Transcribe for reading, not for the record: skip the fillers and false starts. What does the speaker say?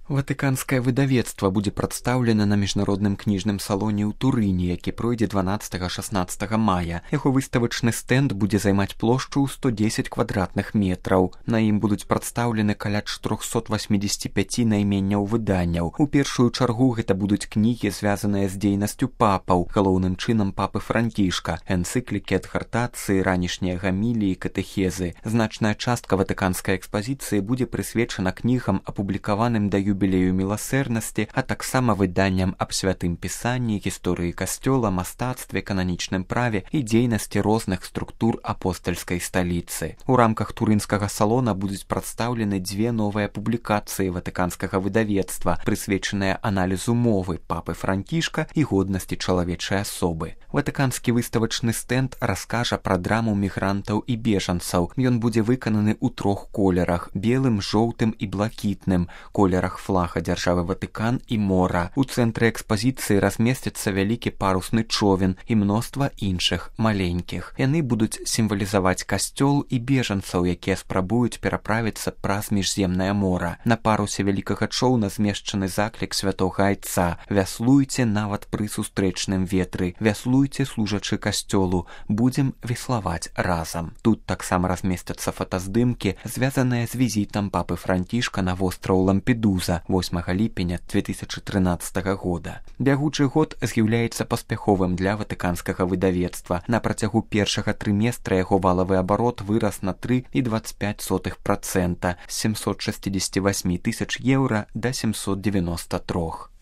Ватыканскае выдавецтва будзе прадстаўлена на міжнародным кніжным салоне ў Турыне, які пройдзе 12-16 мая. Яго выставачны стэнд будзе займаць плошчу ў 110 квадратных метраў. На ім будуць прадстаўлены каля 485 найменняў выданняў. У першую чаргу гэта будуць кнігі, звязаныя з дзейнасцю папаў, галоўным чынам папы Францішка, энцыклікі, адхартацыі, ранішнія гаміліі, катэхезы. Значная частка ватыканскай экспазіцыі будзе прысвечана кнігам, апублікаваным да юбілею міласэрнасці, а таксама выданням аб святым пісанні, гісторыі касцёла, мастацтве, кананічным праве і дзейнасці розных структур апостальскай сталіцы. У рамках турынскага салона будуць прадстаўлены дзве новыя публікацыі ватыканскага выдавецтва, прысвечаныя аналізу мовы папы Францішка і годнасці чалавечай асобы. Ватыканскі выставачны стэнд раскажа пра драму мігрантаў і бежанцаў. Ён будзе выкананы ў 3 колерах: белым, жоўтым і блакітным, колерах флага дзяржавы Ватыкан і мора. У цэнтры экспазіцыі размесціцца вялікі парусны човен і мноства іншых маленькіх. Яны будуць сімвалізаваць касцёл і бежанцаў, якія спрабуюць пераправіцца праз міжземнае мора. На парусе вялікага чоўна змешчаны заклік святога айца: «Вяслуйце нават пры сустрэчным ветры, вяслуйце, служачы касцёлу, будзем веславаць разам». Тут таксама размесцяцца фотаздымкі, звязаныя з візітам папы Францішка на востраў Лампедуза 8 ліпеня 2013 года. Бягучы год з'яўляецца паспяховым для ватыканскага выдавецтва. На працягу першага трыместра яго валавы абарот вырас на 3,25% з 768 тысяч еўра да 793.